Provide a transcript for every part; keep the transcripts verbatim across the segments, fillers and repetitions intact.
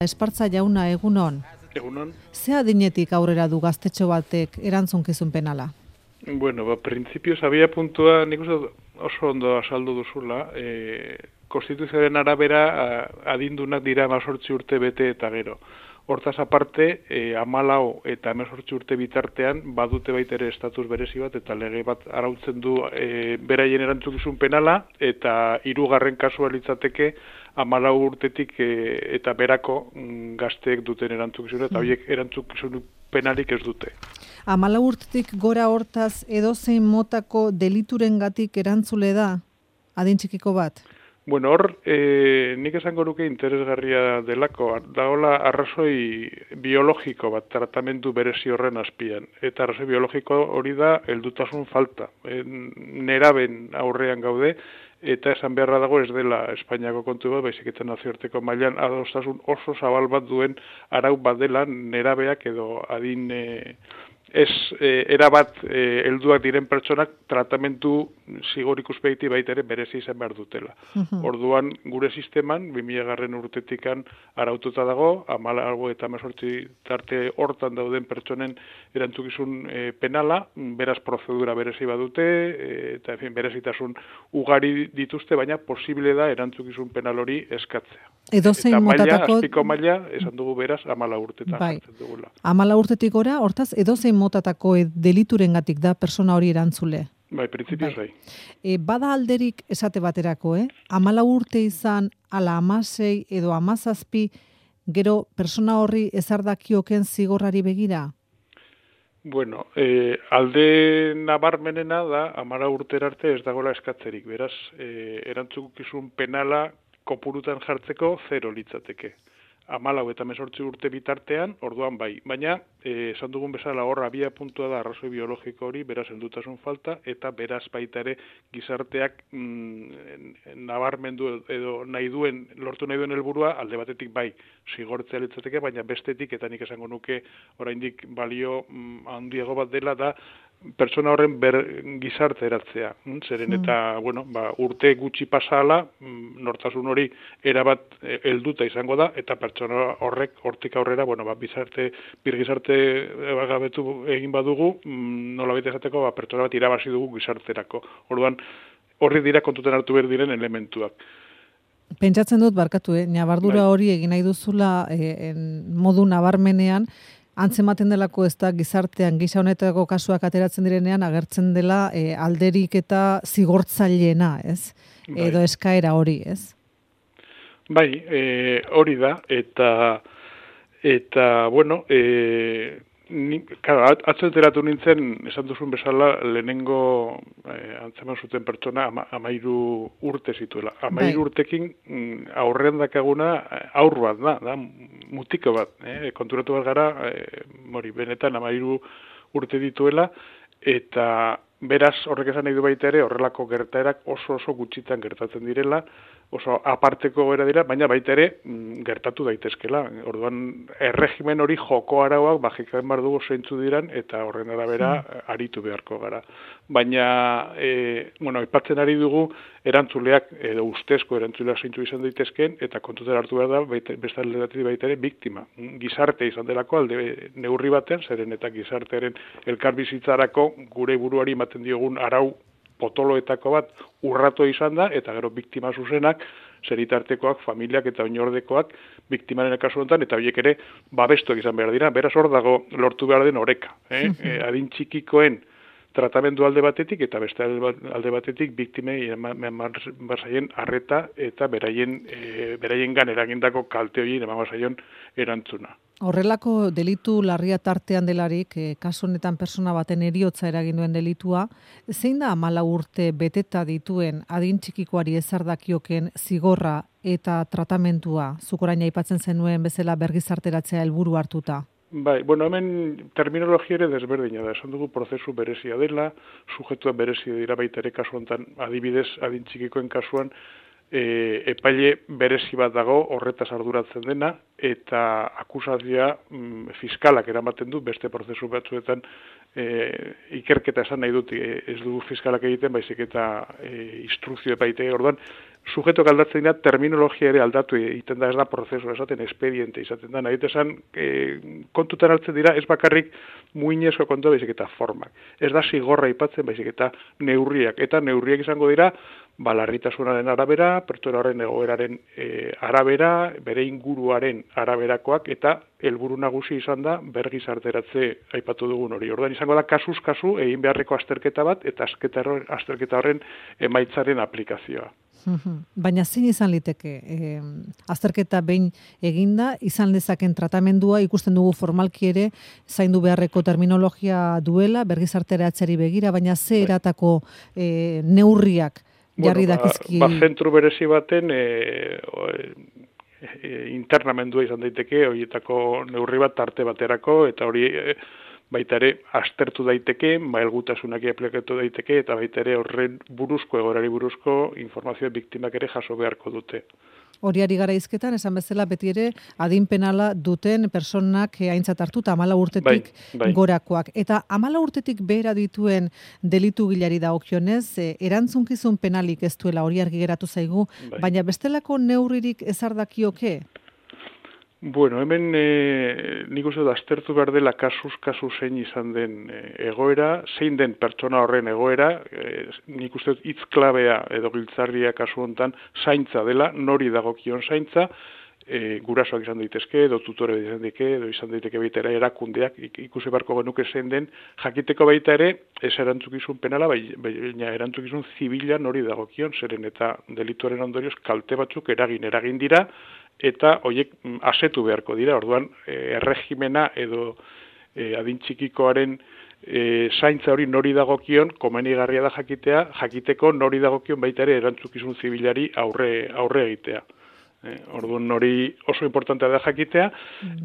Espartza jauna, egunon. Egunon. Ze adinetik aurrera du gaztetxo batek erantzunkizun penala? Bueno, ba, printzipioz, abia puntua nik uste oso ondo asaldu duzula. E, Konstituzioaren arabera adindunak dira hemezortzi urte bete eta gero. Hortaz aparte, e, hamalau eta hemezortzi urte bitartean badute baita ere estatus berezi bat eta lege bat arautzen du e, beraien erantzukizun penala eta hirugarren kasua litzateke hamalau urtetik e, eta berako mm, gazteek duten erantzukizuna eta horiek erantzukizun penalik ez dute. Hamalau urtetik gora hortaz edozein motako deliturengatik erantzule da adin txikiko bat? Bueno, hor, e, nik esango nuke interesgarria delako, dagoela arrazoi biologiko bat, tratamendu berezi horren azpian. Eta arrazoi biologiko hori da heldutasun falta. E, neraben aurrean gaude, eta esan beharra dago ez dela Espainiako kontu bat, baizik eta nazioarteko mailan adostasun oso zabal bat duen arau bat dela nerabeak edo adin e, ez e, erabat e, helduak diren pertsonak tratamendu zigor ikuspegiti baita ere berezi izan behar dutela. Uh-huh. Orduan gure sisteman bi mila garren urtetikan araututa dago, hamalau eta hemezortzi tarte hortan dauden pertsonen erantzukizun e, penala, beraz prozedura berezi badute e, eta en fin, berezitasun ugari dituzte, baina posible da erantzukizun penal hori eskatzea. Edozein eta maila, motatako... azpiko maila, esan dugu beraz, hamalau urtetan bai. jartzen dugula. Hamalau urtetik gora, hortaz, edozein motatako deliturengatik da persona hori erantzule. Bai, printzipioz bai. E, bada alderik esate baterako, eh? Hamalau urte izan, ala hamasei edo hamazazpi, gero persona horri ezardakioken zigorrari begira? Bueno, eh, alde nabarmenena da, hamalau urtera arte ez dagoela eskatzerik. Beraz, eh, erantzukizun penala kopurutan jartzeko zero litzateke. Hamalau eta hemezortzi urte bitartean, orduan bai. Baina, eh, esan dugun bezala hor abia puntua da arrazoi biologiko hori, beraz heldutasun falta, eta beraz baita ere gizarteak mm, nabarmendu edo nahi duen, lortu nahi duen helburua alde batetik bai zigortzea litzateke, baina bestetik, eta nik esango nuke oraindik balio mm, handiago bat dela da, pertsona horren ber gizarte eratzea. Zeren eta, mm. bueno, ba, urte gutxi pasala, nortasun hori erabat helduta izango da, eta pertsona horrek hortik aurrera, bueno, ba, bizarte, bir gizarte gabetu egin badugu, nola baita esateko, ba, pertsona bat irabazi dugu gizarterako. Orduan, horri dira kontutan hartu behar diren elementuak. Pentsatzen dut, barkatu, eh? Nabardura hori egin nahi duzula eh, modu nabarmenean, antzematen delako ez da gizartean, gisa honetako kasuak ateratzen direnean, agertzen dela e, alderik eta zigortzaileena, ez? Bai. Edo eskaera hori, ez? Bai, e, hori da, eta, eta bueno, e, ni, claro, atzenteratu nintzen, esan duzun bezala, lehenengo e, antzeman zuten pertsona ama, amairu urte zituela. Amairu bai. Urtekin aurrean dakaguna aur bat da, da mutiko bat, eh? Konturatu bat gara, e, mori, benetan amairu urte dituela, eta beraz horrek esan nahi du baita ere, horrelako gertaerak oso oso gutxitan gertatzen direla, oso aparteko gara dira, baina baita ere gertatu daitezkela. Orduan, erregimen hori joko arauak bajikaen bar dugu zeintzu diran, eta horren arabera aritu beharko gara. Baina, e, bueno, aipatzen ari dugu, erantzuleak, edo ustezko erantzuleak zeintzu izan daitezken, eta kontutan hartu behar da, beste alde baita ere, biktima. Gizarte izan delako, alde neurri batean, zeren eta gizartearen elkarbizitzarako gure buruari ematen diogun arau potoloetako bat urratu izan da, eta gero biktima zuzenak, zeritartekoak, familiak eta oinordekoak biktimaren kasu honetan, eta horiek ere babestuak izan behar dira. Beraz hor dago lortu behar den oreka. Eh? e, adin txikikoen tratamendu alde batetik, eta beste alde batetik biktimei eman bazaien arreta eta beraien, e, beraien gan eragindako kalte horien eman bazaion erantzuna. Horrelako delitu larria tartean delarik, eh, kasu honetan persona baten heriotza eragin duen delitua, zein da hamalau urte beteta dituen adin txikikoari ezardakioken zigorra eta tratamentua, zuk orain aipatzen zenuen bezala bergizarteratzea helburu hartuta? Bai, bueno, hemen terminologia ere desberdina da. Esan dugu prozesu berezia dela, sujetua berezia dira baita ere kasu honetan, adibidez, adin txikikoen kasuan, e, epaile berezi bat dago horretaz arduratzen dena, eta akusazioa mm, fiskalak eramaten du beste prozesu batzuetan e, ikerketa esan nahi dut e, ez du fiskalak egiten, baizik eta e, instrukzio epaitegi orduan, sujeto aldatzen da, terminologia ere aldatu egiten da, ez da prozesu esaten, expediente izaten da, nahi esan e, kontutan hartzen dira, ez bakarrik muinezko kontua baizik eta formak. Ez da zigorra aipatzen baizik eta neurriak, eta neurriak izango dira, ba, larritasunaren arabera, pertsona horren egoeraren e, arabera, bere inguruaren araberakoak, eta helburu nagusi izan da bergizarteratze aipatu dugun hori. Orduan izango da kasuz kasu egin beharreko azterketa bat, eta azterketa horren emaitzaren aplikazioa. Baina zein izan liteke, e, azterketa behin eginda, izan dezaken tratamendua, ikusten dugu formalki ere, zaindu beharreko terminologia duela, bergizarteratzeari begira, baina ze eratako e, neurriak jarri bueno, dakizki? Ba, ba zentru berezi baten e, e, internamendua izan daiteke, horietako neurri bat tarte baterako, eta hori e, baita ere aztertu daiteke, mailgutasunak aplikatu daiteke, eta baita ere horren buruzko, egorari buruzko informazio biktimak ere jaso beharko dute. Horiari gara izketan, esan bezala beti ere adin penala duten personak aintzat hartu eta amala urtetik bai, bai. gorakoak. Eta amala urtetik behera dituen delitu gilari dagokionez, e, erantzunkizun penalik ez duela hori argi geratu zaigu, bai. Baina bestelako neurririk ezardakioke? Bueno, hemen e, nik uste da aztertu behar dela kasuz kasu zein izan den e, egoera, zein den pertsona horren egoera, e, nik uste hitz klabea edo giltzarria kasu hontan zaintza dela, nori dagokion zaintza, e, gurasoak izan daitezke, edo tutore izan daiteke, edo izan daiteke baita ere erakundeak, ikusi beharko genuke zein den, jakiteko baita ere, ez erantzukizun penala, baina erantzukizun zibila nori dagokion, zeren eta delituaren ondorioz kalte batzuk eragin eragin dira, eta horiek asetu beharko dira, orduan e, erregimena edo e, adin txikikoaren e, zaintza hori nori dagokion, komenigarria da jakitea, jakiteko nori dagokion baita ere erantzukizun zibilari aurre, aurre egitea. E, orduan hori oso importantea da jakitea,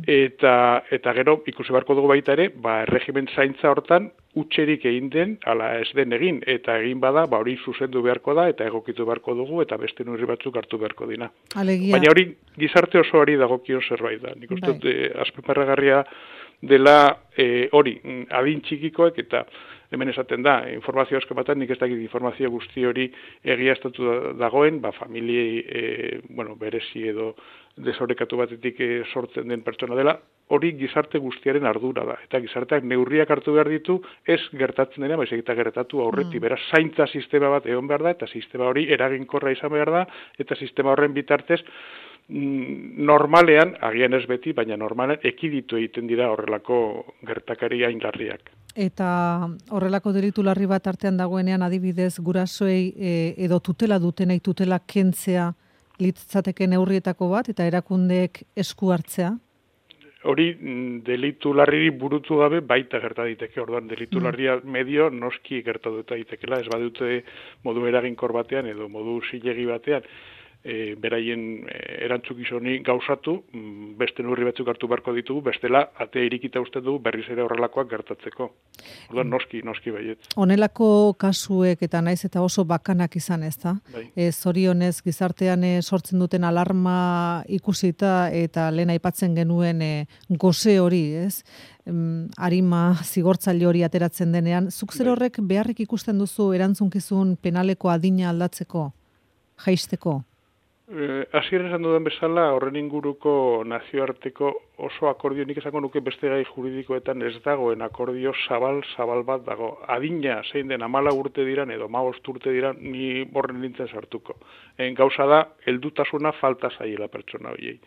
eta, eta gero ikusi beharko dugu baita ere, ba, erregimen zaintza hortan utxerik egin den, ala ez den egin, eta egin bada, ba hori zuzendu beharko da, eta egokitu beharko dugu, eta beste neurri batzuk hartu beharko dina. Alegia. Baina hori gizarte osoari dagokion zerbait da. Nik uste bai. e, azpimarragarria dela e, hori, adin txikikoek, eta hemen esaten da, informazio asko batean, nik ez dakit informazio guzti hori egiaztatu dagoen, ba, familiei, e, bueno, berezi edo desorekatu batetik e, sortzen den pertsona dela, hori gizarte guztiaren ardura da. Eta gizarteak neurriak hartu behar ditu, ez gertatzen dena, baizik eta gertatu aurretik. Mm. Beraz, zaintza sistema bat egon behar da, eta sistema hori eraginkorra izan behar da, eta sistema horren bitartez, normalean, agian ez beti, baina normalean, ekiditu egiten dira horrelako gertakari aingarriak. Eta horrelako delitu larri bat artean dagoenean adibidez gurasoei e, edo tutela dutenei tutela kentzea litzateke neurrietako bat eta erakundeek esku hartzea? Hori delitu larriri burutu gabe baita gerta daiteke, orduan delitu larria medio noski gertatu daitekela, ez badute modu eraginkor batean edo modu zilegi batean, e, beraien erantzukizuni gauzatu, beste neurri batzuk hartu beharko ditugu, bestela atea irikita uste dugu berriz ere horrelakoak gertatzeko. Orduan noski, noski baiet. Honelako kasuek eta naiz eta oso bakanak izan, ez da? Bai. E, zorionez gizartean e, sortzen duten alarma ikusita eta lehen aipatzen genuen e, goze hori, ez? Em, arima zigortzaile hori ateratzen denean, zuk zer horrek beharrik ikusten duzu erantzunkizun penaleko adina aldatzeko, jaisteko? Hasieran esan dudan bezala, horren inguruko nazioarteko oso akordio, nik esango nuke beste gai juridikoetan ez dagoen akordio zabal-zabal bat dago. Adina zein den amala urte diran edo maost urte diran, ni horren nintzen sartuko. En gauza da, heldutasuna falta zaiela pertsona horiei.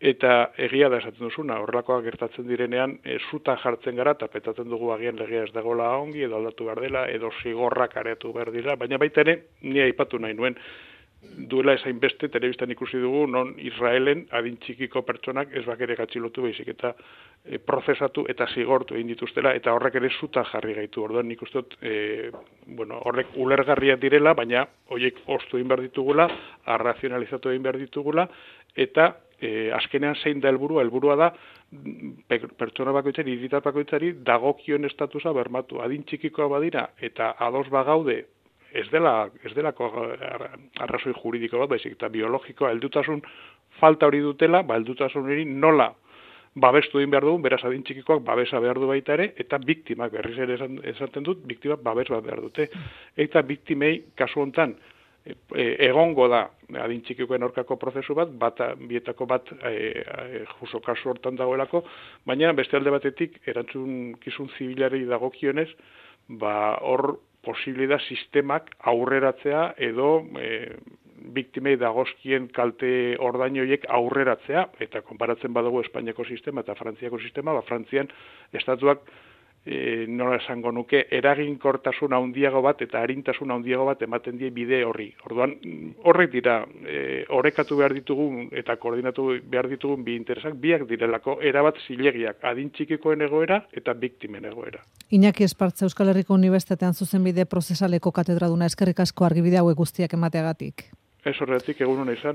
Eta egia da esaten duzuna, horrelakoak gertatzen direnean, e, zuta jartzen gara, eta petatzen dugu agian legea ez dagoela ongi, edo aldatu behar dela, edo zigorrak areatu behar dira, baina baita ere, ni aipatu nahi nuen, duela esain beste, telebistan ikusi dugu, non Israelen adin txikiko pertsonak ez bakere gatxilotu baizik eta e, prozesatu eta zigortu egin dituztela, eta horrek ere zuta jarri gaitu. Orduan nik uste dut, e, bueno, horrek ulergarriak direla, baina horiek ostu egin behar ditugula, arrazionalizatu egin behar ditugula, eta e, azkenean zein da helburua, helburua da pertsona bakoitzari, hiritar bakoitzari dagokion estatusa bermatu. Adin txikikoa badira, eta ados bagaude, ez dela ez delako arrazoi juridiko bat, baizik eta biologikoa heldutasun falta hori dutela, ba heldutasun hori nola babestu egin behar dugu, beraz adin txikikoak babesa behar du baita ere, eta biktimak, berriz ere esaten dut, biktimak babes bat behar dute. Eta biktimei, kasu hontan, e, egongo da adin txikikoen aurkako prozesu bat, bata, bietako bat e, e, juso kasu hortan dagoelako, baina beste alde batetik, erantzun kizun zibilari dagokionez, ba hor posible da sistemak aurreratzea edo e, biktimei dagozkien kalte ordain horiek aurreratzea, eta konparatzen badugu Espainiako sistema eta Frantziako sistema, ba Frantzian estatuak e, nola esango nuke eraginkortasun handiago bat eta arintasun handiago bat ematen die bide horri. Orduan horrek dira e, orekatu behar ditugun eta koordinatu behar ditugun bi interesak, biak direlako erabat zilegiak, adin txikikoen egoera eta biktimen egoera. Iñaki Espartza, Euskal Herriko Unibertsitatean zuzenbide prozesaleko katedraduna, eskerrik asko argibide hauek guztiak emateagatik. Ez horretik egun hona izan.